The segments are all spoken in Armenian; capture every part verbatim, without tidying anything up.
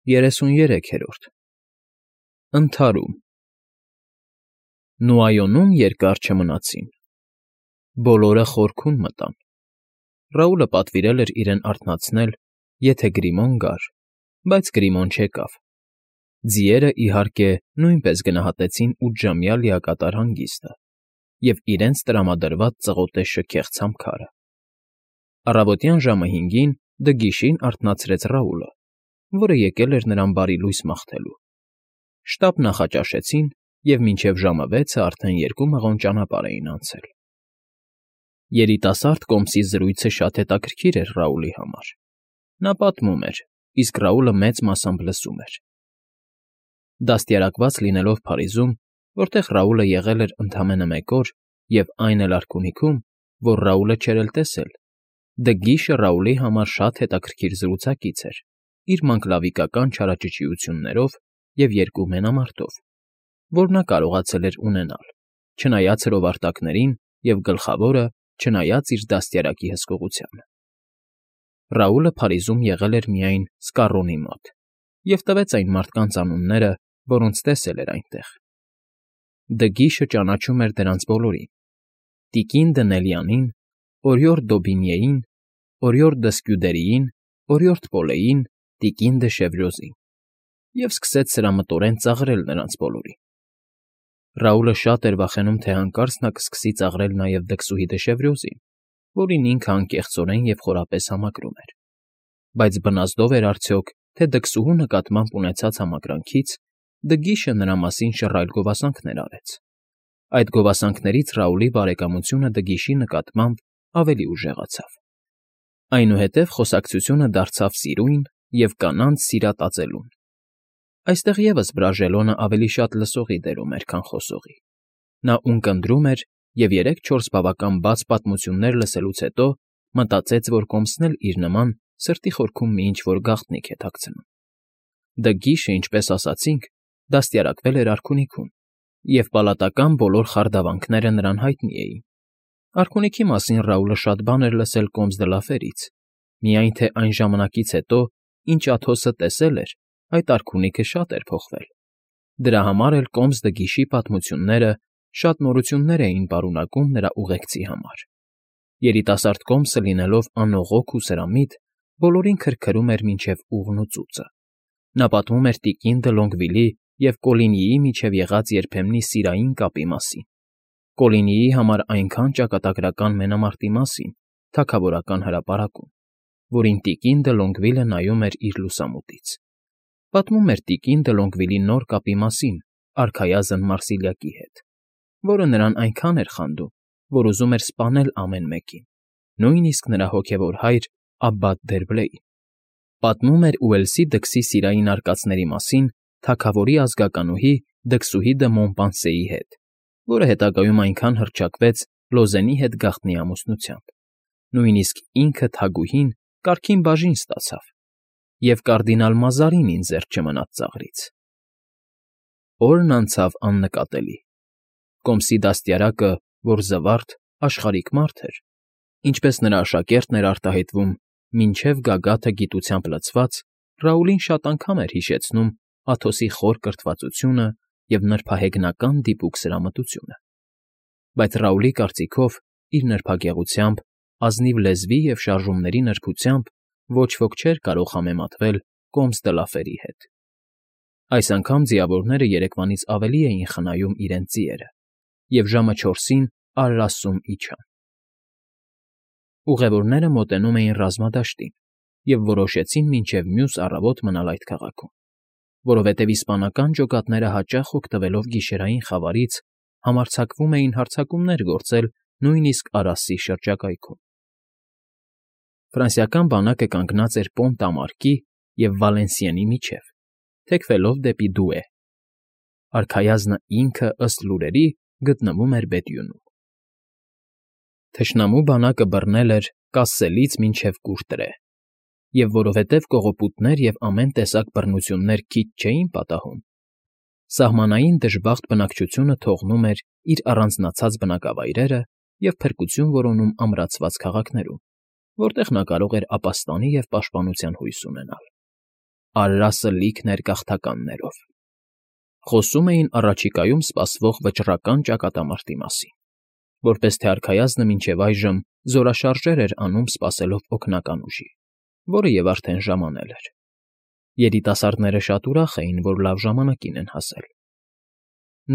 ԵՐԵՍՈՒՆԵՐԵՔԵՐՈՐԴ ԸՆԹԱՐՈՒՄ Նուայոնում երկար չմնացին, բոլորը խորքում մտան. Ռաուլը պատվիրել էր իրեն արթնացնել, եթե Գրիմոն գար, բայց Գրիմոն չեկավ. ձիերը, իհարկե, նույնպես գնահատեցին ութժամյա լիակատար հանգիստը և իրենց տրամադրված ծղոտե շքեղ ցամաքարը։ Առավոտյան ժամը հինգին դգիշին արթնացրեց Ռաուլը, որը եկել էր նրան բարի լույս մաղթելու։ Շտապ նախաճաշեցին, և մինչև ժամը վեցը արդեն երկու մղոն ճանապարհ էին անցել։ Երիտասարդ կոմսի զրույցը շատ հետաքրքիր էր Ռաուլի համար. նա պատմում էր, իսկ Ռաուլը մեծ մասամբ լսում էր։ Դաստիարակված լինելով Փարիզում, որտեղ Ռաուլը եղել էր ընդամենը մեկ օր, և այն էլ արքունիքում, որ Ռաուլը չէր էլ տեսել, Դգիշը Ռաուլի համար շատ հետաքրքիր զրուցակից էր՝ իր մանկլավիկական չարաճճիություններով և երկու մենամարտով, որ նա կարողացել էր ունենալ, չնայած հրովարտակներին և, գլխավորը, չնայած իր դաստիարակի հսկողությանը։ Ռաուլը Փարիզում եղել էր միայն Սկառոնի մոտ և տվեց այն մարդկանց անունները, որոնց տեսել էր այնտեղ։ Դգիշը ճանաչում էր դրանց բոլորին՝ տիկին Դնելյանին, օրիորդ Դոբինիեին, օրիորդ Դսկյուդերիին, օրիորդ Պոլեին, տիկին դը Շևրոզին, և սկսեց սրամտորեն ծաղրել նրանց բոլորին։ Ռաուլը շատ էր վախենում, թե հանկարծ նա կսկսի ծաղրել նաև դքսուհի դը Շևրոզին, որին ինքը անկեղծորեն և խորապես համակրում էր։ Բայց բնազդո՞վ էր արդյոք, թե դքսուհու նկատմամբ ունեցած համակրանքից Դգիշը նրա մասին շռայլ գովասանքներ արեց։ Այդ գովասանքներից Ռաուլի բարեկամությունը Դգիշի նկատմամբ ավելի ուժեղացավ։ Այնուհետև խոսակցությունը դարձավ սիրույն և կանանց սիրատածելուն։ Այստեղ ևս Բրաժելոնը ավելի շատ լսողի դերում էր, քան խոսողի։ Նա ունկնդրում էր և երեք֊չորս բավական բաց պատմություններ լսելուց հետո մտածեց, որ կոմսն էլ իր նման սրտի խորքում մի ինչ֊որ գաղտնիք է թաքցնում։ Դգիշը, ինչպես ասացինք, դաստիարակվել էր արքունիքում, և պալատական բոլոր խարդավանքները նրան հայտնի էին։ Արքունիքի մասին Ռաուլը շատ բան էր լսել Կոմս դը Լաֆերից, միայն թե այն ժամանակից հետո, ինչ Աթոսը տեսել էր, այդ արքունիքը շատ էր փոխվել։ Դրա համար էլ Կոմս Դգիշի պատմությունները շատ նորություններ էին պարունակում նրա ուղեկցի համար։ Երիտասարդ կոմսը լինելով անողոք ու սրամիտ, բոլորին քրքրում էր մինչև ուղն ու ծուծը։ Նա պատմում էր տիկին դը Լոնգվիլի և Կոլինիի միջև եղած երբեմնի սիրային կապի մասին, Կոլինիի համար այնքան ճակատագրական մենամարտի մասին թագավորական հրապարակում, որին տիկին դը Լոնգվիլը նայում էր իր լուսամուտից։ Պատմում էր տիկին դը Լոնգվիլի նոր կապի մասին արքայազն Մարսիլիակի հետ, որը նրան այնքան էր խանդում, որ ուզում էր սպանել ամեն մեկին, նույնիսկ նրա հոգևոր հայր Աբբատ Դերբլեին։ Պատմում էր Ուելսի դքսի սիրային արկածների մասին թագավորի ազգականուհի դքսուհի դը Մոնպանսեի հետ, որը հետագայում այնքան հռչակվեց Լոզենի հետ գաղտնի ամուսնությամբ, նույնիսկ ինքը թագուհին կարգին բաժին ստացավ, և կարդինալ Մազարինին զերծ չմնաց ծաղրից։ Օրն անցավ աննկատելի։ Կոմսի դաստիարակը, որ զվարթ, աշխարհիկ մարդ էր, ինչպես նրա աշակերտն էր արտահայտվում, մինչև գագաթը գիտությամբ լցված, Ռաուլին շատ անգամ էր հիշեցնում Աթոսի խոր կրթվածությունը և նրբահեգնական դիպուկ սրամտությունը։ Բայց Ռաուլի կարծիքով, իր նրբագեղությամբ, ազնիվ լեզվի և շարժումների նրբությամբ ոչ ոք չէր կարող համեմատվել Կոմս դը Լաֆերի հետ։ Այս անգամ ձիավորները երեկվանից ավելի էին խնայում իրենց ձիերը, և ժամը չորսին արրասում իջան։ Ուղևորները մոտենում էին ռազմադաշտին և որոշեցին մինչև մյուս առավոտ մնալ այդ քաղաքում, որովհետև իսպանական ջոկատները հաճախ օգտվելով գիշերային խավարից համարձակվում էին հարձակումներ գործել նույնիսկ Արասի շրջակայքում։ Ֆրանսիական բանակը կանգնած էր Պոնտ֊ա֊Մարկի և Վալենսիենի միջև, թեքվելով դեպի Դուէ։ Արքայազնը ինքը, ըստ լուրերի, գտնվում էր Բեթյունում։ Թշնամու բանակը բռնել էր Կասսելից մինչև Կուրտրե, և որովհետև կողոպուտներ և ամեն տեսակ բռնություններ քիչ չէին պատահում, սահմանային դժբախտ բնակչությունը թողնում էր իր առանձնացած բնակավայրերը և փրկություն որոնում ամրացված քաղաքներում, որտեղ նա կարող էր ապաստանի և պաշտպանության հույս ունենալ։ Արրասը լիքն էր գաղթականներով։ Խոսում էին առաջիկայում սպասվող վճռական ճակատամարտի մասին, որպես թե արքայազնը մինչև այժմ զորաշարժեր էր անում սպասելով օգնական ուժի, որը և արդեն ժամանել էր։ Երիտասարդները շատ ուրախ էին, որ լավ ժամանակին են հասել։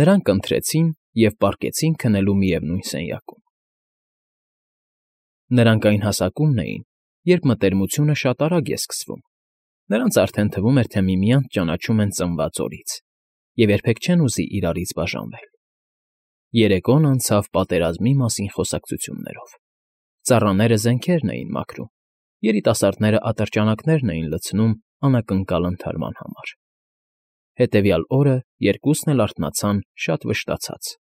Նրանք ընթրեցին և պառկեցին քնելու միևնույն սենյակում։ Նրանք այն հասակումն էին, երբ մտերմությունը շատ արագ է սկսվում։ Նրանց արդեն թվում էր, թե միմյանց ճանաչում են ծնված օրից և երբեք չեն ուզի իրարից բաժանվել։ Երեկոն անցավ պատերազմի մասին խոսակցություններով։ Ծառաները զենքերն էին մաքրում, երիտասարդները ատրճանակներն էին լցնում անակնկալ ընդհարման համար։ Հետևյալ օրը երկուսն էլ արթնացան շատ վշտացած։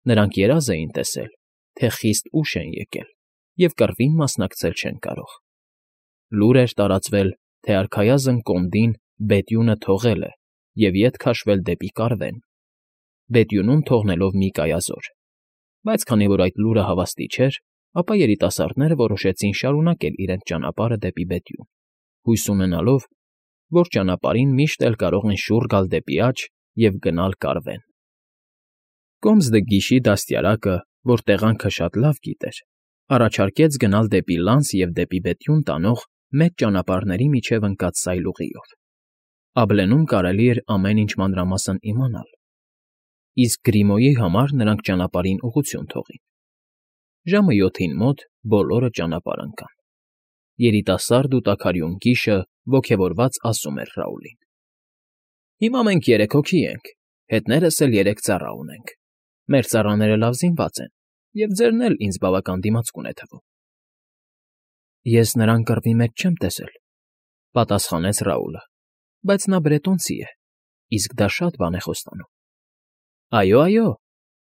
Նրանք երազ էին տեսել, թե խիստ ուշ են եկել և կռվին մասնակցել չեն կարող։ Լուր էր տարածվել, թե արքայազն կոնդին Բետյունը թողել է և ետ քաշվել դեպի Կարվեն, Բետյունում թողնելով մի կայազոր։ Բայց քանի որ այդ լուրը հավաստի չէր, ապա երիտասարդները որոշեցին շարունակել իրենց ճանապարհը դեպի Բետյուն, հույս ունենալով, որ ճանապարհին միշտ էլ կարող են շուռ գալ դեպի աջ և գնալ Կարվեն։ Կոմսդգիշի դաստիարակը, որ տեղանքը շատ լավ գիտեր, առաջարկեց գնալ դեպի Լանս և դեպի Բետյուն տանող մեծ ճանապարհների միջև ընկած սայլուղիով։ Աբլենում կարելի էր ամեն ինչ մանրամասն իմանալ, իսկ Գրիմոյի համար նրանք ճանապարհին ուղղություն թողին։ Ժամը յոթին մոտ բոլորը ճանապարհ ընկան։ Երիտասարդ ու տաքարյուն Կիշը ոգևորված ասում էր Ռաուլին. «Հիմա մենք երեք հոգի ենք, հետներս էլ երեք ծառա ունենք։ Մեր ծառաները լավ զինված են, և ձերն էլ ինձ բավական դիմացկուն է թվում»։ Ես նրան կռվի մեջ չեմ տեսել,֊ պատասխանեց Ռաուլը,֊ բայց նա բրետոնցի է, իսկ դա շատ բան է խոստանում։ «Այո, այո,֊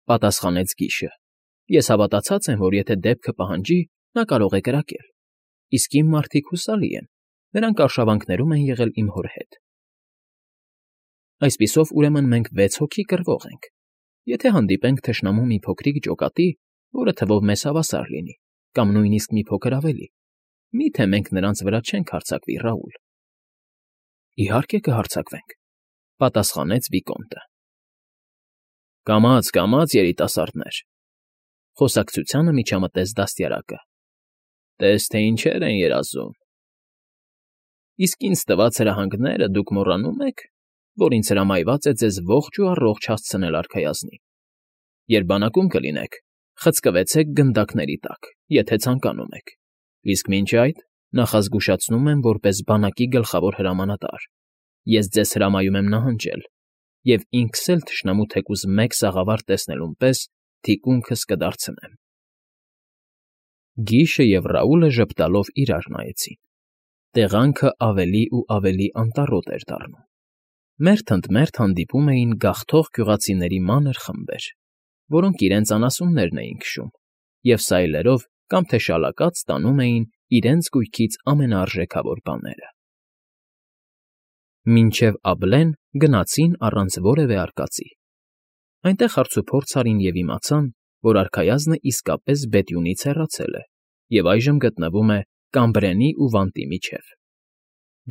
պատասխանեց Կիշը,֊ ես հավատացած եմ, որ եթե դեպքը պահանջի, նա կարող է կրակել, իսկ իմ մարդիկ հուսալի են, նրանք արշավանքներում են եղել իմ հոր հետ։ Այսպիսով, ուրեմն մենք վեց հոգի կռվող ենք։ Եթե հանդիպենք թշնամու մի փոքրիկ ջոկատի, որը թվով մեզ հավասար լինի, կամ նույնիսկ մի փոքր ավելի, մի՞թե մենք նրանց վրա չենք հարձակվի, Ռաուլ։ ֊ Իհարկե կհարձակվենք,֊ պատասխանեց Վիկոնդը։ Կամաց, կամաց, երիտասարդներ,֊ խոսակցությանը միջամտեց դաստիարակը։ Տես թե ինչեր են երազում։ Իսկ ինձ տված հրահանգները դուք մոռանում եք, որ ինձ հրամայված է ձեզ ողջ ու առողջ հասցնել արքայազնին։ Երբ բանակում կլինեք, խցկվեցեք գնդակների տակ, եթե ցանկանում եք, իսկ մինչ այդ նախազգուշացնում եմ որպես բանակի գլխավոր հրամանատար. ես ձեզ հրամայում եմ նահանջել, և ինքս էլ թշնամու թեկուզ մեկ սաղավարտ տեսնելուն պես թիկունքս կդարձնեմ։ Գիշը և Ռաուլը ժպտալով իրար նայեցին։ Տեղանքը ավելի ու ավելի անտառոտ էր դառնում։ Մերթ ընդ մերթ հանդիպում էին գաղթող գյուղացիների մանր խմբեր, որոնք իրենց անասուններն էին քշում և սայլերով կամ թե շալակած տանում էին իրենց գույքից ամենաարժեքավոր բաները։ Մինչև աբլեն գնացին առանց որևէ արկածի։ Այնտեղ հարցուփորձ արին և իմացան, որ արքայազնը իսկապես Բետյունից հեռացել է և այժմ գտնվում է Կամբրենի ու Վանտի միջև։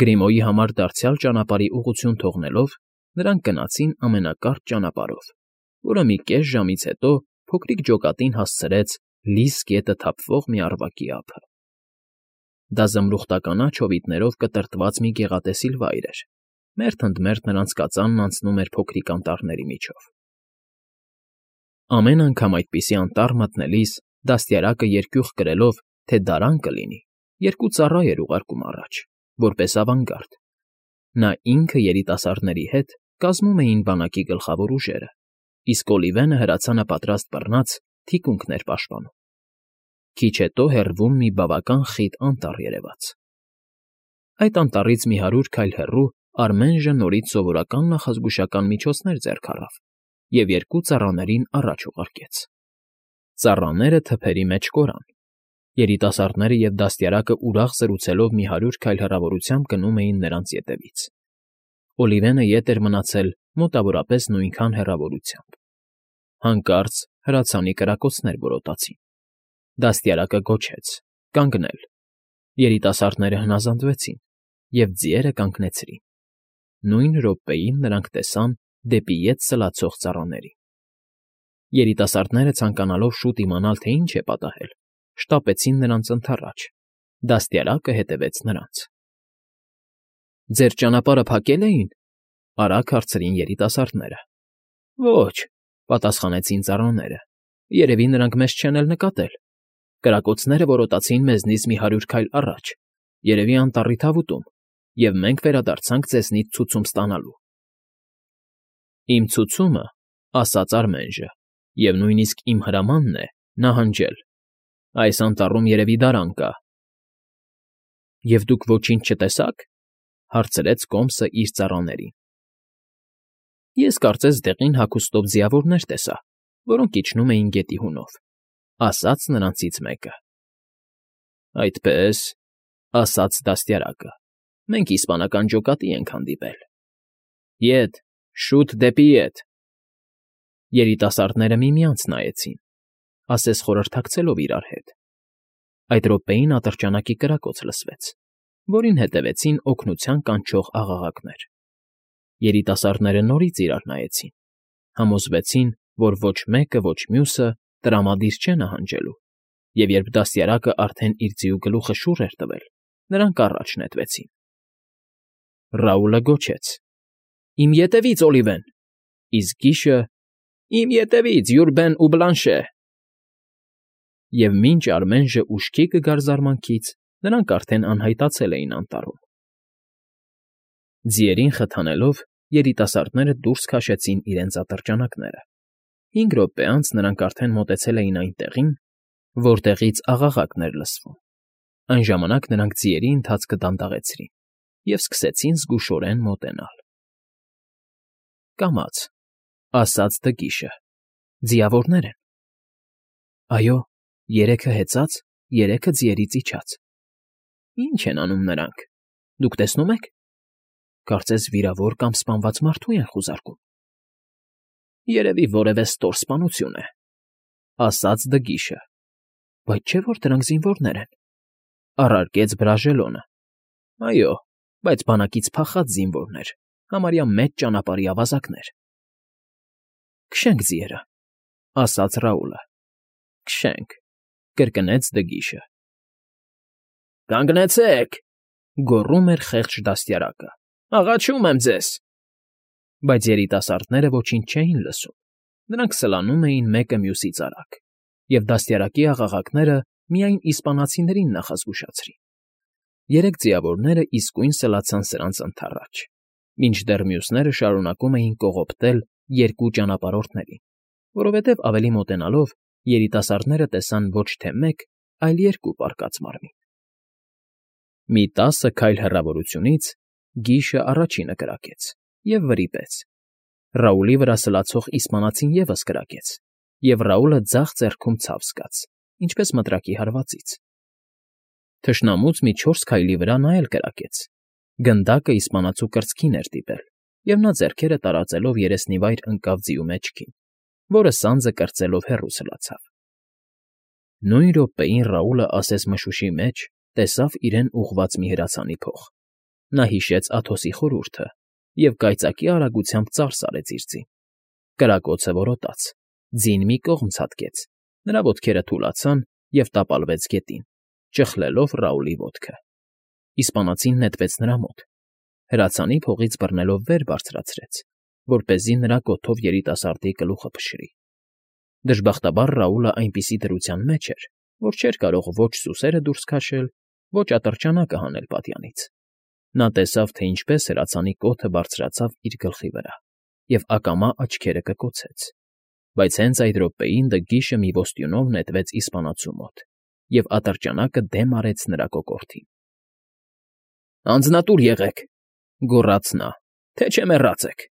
Գրիմոյի համար դարձյալ ճանապարհի ուղղություն թողնելով, նրանք գնացին ամենակարճ ճանապարհով, որը մի կես ժամից հետո փոքրիկ ջոկատին հասցրեց լիս գետը թափվող մի առվակի ափը։ Դա զմրուխտականաչ հովիտներով կտրտված մի գեղատեսիլ վայր էր։ Մերթ ընդ մերթ նրանց կածանն անցնում էր փոքրիկ անտառների միջով։ Ամեն անգամ այդպիսի անտառ մտնելիս դաստիարակը երկյուղ կրելով, թե դարան կլինի, երկու ծառա էր ուղարկում առաջ, որպես ավանգարդ։ Նա ինքը երիտասարդների հետ կազմում էին բանակի գլխավոր ուժերը, իսկ Օլիվենը հրացանը պատրաստ բռնած թիկունքն էր պաշտպանում։ Քիչ հետո հեռվում մի բավական խիտ անտառ երևաց։ Այդ անտառից մի հարյուր քայլ հեռու Արմենժը նորից սովորական նախազգուշական միջոցներ ձեռք առավ և երկու ծառաներին առաջ ուղարկեց։ Ծառաները թփերի մեջ կորան։ Երիտասարդները և դաստիարակը ուրախ զրուցելով մի հարյուր քայլ հեռավորությամբ գնում էին նրանց ետևից։ Օլիվենը ետ էր մնացել մոտավորապես նույնքան հեռավորությամբ։ Հանկարծ հրացանի կրակոցներ որոտացին։ Դաստիարակը գոչեց. «Կանգնել»։ Երիտասարդները հնազանդվեցին և ձիերը կանգնեցրին։ նույն րոպեին նրանք տեսան դեպի ետ սլացող ծառաներին։ Երիտասարդները, ցանկանալով շուտ իմանալ, թե ինչ է պատահել, շտապեցին նրանց ընդառաջ, դաստիարակը հետևեց նրանց։ ֊ Ձեր ճանապարհը փակե՞լ էին,֊ արագ հարցրին երիտասարդները։ ֊ Ոչ,֊ պատասխանեցին ծառաները,֊ երևի նրանք մեզ չեն էլ նկատել։ Կրակոցները որոտացին մեզնից մի հարյուր քայլ առաջ, երևի անտառի թավուտում, և մենք վերադարձանք ձեզնից ցուցում ստանալու։ ֊ Իմ ցուցումը,֊ ասաց Արմենժը,֊ և նույնիսկ իմ հրամանն է նահանջել։ Այս անտառում երևի դարան կա։ ֊ Եվ դուք ոչինչ չտեսա՞ք,֊ հարցրեց կոմսը իր ծառաներին։ ֊ Ես կարծես դեղին հագուստով ձիավորներ տեսա, որոնք իջնում էին գետի հունով,֊ ասաց նրանցից մեկը։ ֊ Այդպե՞ս,֊ ասաց դաստիարակը,֊ մենք իսպանական ջոկատի ենք հանդիպել։ ֊ Ետ, շուտ դեպի ետ… Երիտասարդները միմյանց նայեցին, ասես խորհրդակցելով իրար հետ։ Այդ րոպեին ատրճանակի կրակոց լսվեց, որին հետևեցին օգնության կանչող աղաղակներ։ Երիտասարդները նորից իրար նայեցին, համոզվեցին, որ ոչ մեկը, ոչ մյուսը տրամադիր չէ նահանջելու, և երբ դաստիարակը արդեն իր ձիու գլուխը շուռ էր տվել, նրանք առաջ նետվեցին։ Ռաուլը գոչեց. «Իմ ետևից, Օլիվեն», իսկ Կիշը. «Իմ ետևից, Յուրբեն ու Բլանշե»։ Եվ մինչ Արմենժը ուշքի կգար զարմանքից, նրանք արդեն անհայտացել էին անտառում։ Ձիերին խթանելով՝ երիտասարդները դուրս քաշեցին իրենց ատրճանակները։ Հինգ րոպե անց նրանք արդեն մոտեցել էին այն տեղին, որտեղից աղաղակն էր լսվում։ Այն ժամանակ նրանք ձիերի ընթացքը դանդաղեցրին և սկսեցին զգուշորեն մոտենալ։ «Կամաց,֊ ասաց Դգիշը,֊ ձիավորներ են»։ ֊ Այո, երեքը հեծած, երեքը ձիերից իջած։ ֊ Ի՞նչ են անում նրանք, դուք տեսնո՞ւմ եք։ Կարծես վիրավոր կամ սպանված մարդու են խուզարկում։ ֊ Երևի որևէ ստոր սպանություն է,֊ ասաց Դգիշը։ ֊ Բայց չէ՞ որ դրանք զինվորներ են,֊ առարկեց Բրաժելոնը։ ֊ Այո, բայց բանակից փախած զինվորներ, համարյա մեծ ճանապարհի ավազակներ։ ֊ Քշենք ձիերը,֊ ասաց Ռաուլը։ ֊ Քշենք,֊ կրկնեց Դգիշը։ ֊ Կանգնեցեք,֊ գոռում էր խեղճ դաստիարակը,֊ աղաչում եմ ձեզ։ Բայց երիտասարդները ոչինչ չէին լսում, նրանք սլանում էին մեկը մյուսից արագ, և դաստիարակի աղաղակները միայն իսպանացիներին նախազգուշացրին։ Երեք ձիավորները իսկույն սլացան սրանց ընդառաջ, մինչդեռ մյուսները շարունակում էին կողոպտել երկու ճանապարհորդներին, որովհետև ավելի մոտենալով երիտասարդները տեսան ոչ թե մեկ, այլ երկու պառկած մարմին։ Մի տասը քայլ հեռավորությունից Գիշը առաջինը կրակեց և վրիպեց։ Ռաուլի վրա սլացող իսպանացին ևս կրակեց, և Ռաուլը ձախ ձեռքում ցավ զգաց, ինչպես մտրակի հարվածից։ Թշնամուց մի չորս քայլի վրա նա էլ կրակեց։ Գնդակը իսպանացու կրծքին էր դիպել, և նա ձեռքերը տարածելով երեսնիվայր ընկավ ձիու մեջքին, որը սանձը կրծելով հեռու սլացավ։ Նույն րոպեին Ռաուլը ասես մշուշի մեջ տեսավ իրեն ուղղված մի հրացանի փող։ Նա հիշեց Աթոսի խորհուրդը և կայծակի արագությամբ ծարս արեց իր ձին։ Կրակոցը որոտաց, ձին մի կողմ ցատկեց, նրա ոտքերը թուլացան և տապալվեց գետին, ճխլելով Ռաուլի ոտքը։ Իսպանացին նետվեց նրա մոտ, հրացանի փողից բռնելով վեր բարձրացրեց, որպեսզի նրա կոթով երիտասարդի գլուխը փշրի։ Դժբախտաբար Ռաուլը այնպիսի դրության մեջ էր, որ չէր կարող ոչ սուսերը դուրս քաշել, ոչ ատրճանակը հանել պատյանից։ Նա տեսավ, թե ինչպես հրացանի կոթը բարձրացավ իր գլխի վրա, և ակամա աչքերը կկոցեց։ Բայց հենց այդ րոպեին Դգիշը մի ոստյունով նետվեց իսպանացու մոտ, և ատրճանակը դեմ արեց նրա կոկորդին։ ֊ Անձնատուր եղեք,֊ գոռաց նա,֊ թե չէ մեռած եք։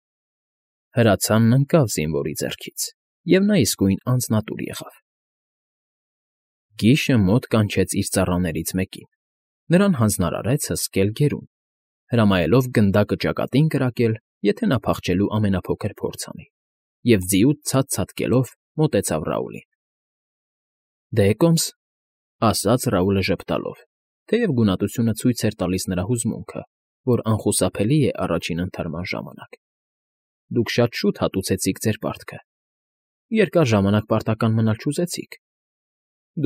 Հրացանն ընկավ զինվորի ձեռքից, և նա իսկույն անձնատուր եղավ։ Գիշը մոտ կանչեց իր ծառաներից մեկին, նրան հանձնարարեց հսկել գերուն, հրամայելով գնդակը ճակատին կրակել, եթե նա փախչելու ամենափոքր փորձ անի, և ձիուց ցած ցատկելով մոտեցավ Ռաուլին։ ֊ Դե, կոմս,֊ ասաց Ռաուլը ժպտալով, թեև գունատությունը ցույց էր տալիս նրա հուզմունքը, որ անխուսափելի է առաջին ընթարման ժամանակ։ Դուք շատ շուտ հատուցեցիք ձեր պարտքը, երկար ժամանակ պարտական մնալ չուզեցիք։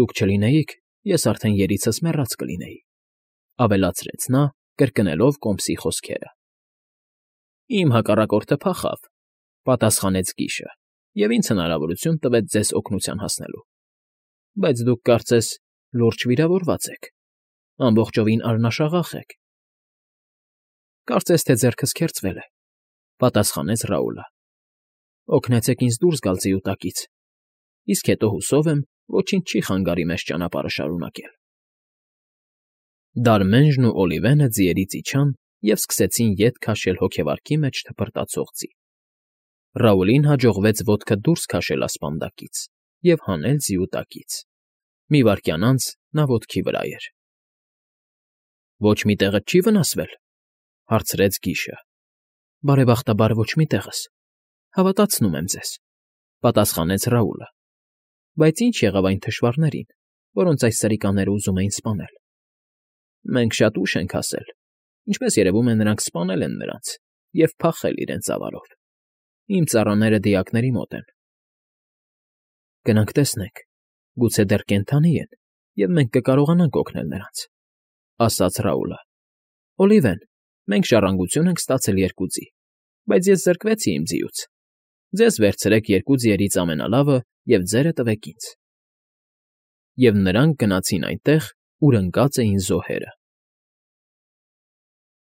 Դուք չլինեիք, ես արդեն երիցս մեռած կլինեի,֊ ավելացրեց նա, կրկնելով Կոմսի խոսքերը։ Իմ հակառակորդը փախավ,֊ պատասխանեց Կիշը,֊ և ինձ հնարավորություն տվեց ձեզ օգնության հասնելու։ Բայց դուք, կարծես, լուրջ վիրավորված եք, ամբողջովին արնաշաղախ եք։ Կարծես թե ձեռքս քերծվել է,֊ պատասխանեց Ռաուլը։ Օգնեցեք ինձ դուրս գալ ձիուտակից, իսկ հետո, հուսով եմ, ոչինչ չի խանգարի մեզ ճանապարհը շարունակել։ Դարմենժն ու Օլիվենը ձիերից իջան և սկսեցին ետ քաշել հոգեվարքի մեջ թփրտացող ձի։ Ռաուլին հաջողվեց ոտքը դուրս քաշել ասպանդակից և հանել ձիուտակից։ Մի վայրկյան անց նա ոտքի վրա էր։ Ոչ մի տեղդ չի վնասվել,֊ հարցրեց Կիշը։ Բարեբախտաբար ոչ մի տեղս, հավատացնում եմ ձեզ,֊ պատասխանեց Ռաուլը։ Բայց ի՞նչ եղավ այն թշվառներին, որոնց այս սրիկաները ուզում էին սպանել։ Մենք շատ ուշ ենք հասել, ինչպես երևում է, նրանք սպանել են նրանց և փախել իրենց ավարով։ Իմ ծառաները դիակների մոտ են։ Գնանք տեսնենք, գուցե դեռ կենդանի են, և մենք կկարողանանք օգնել նրանց,֊ ասաց Ռաուլը։ Օլիվեն, մենք ժառանգություն ենք ստացել երկու ձի, բայց ես զրկվեցի իմ ձիուց։ Ձեզ վերցրեք երկու ձիերից ամենալավը և ձերը տվեք ինձ։ Եվ նրանք գնացին այնտեղ, ուր ընկած էին զոհերը։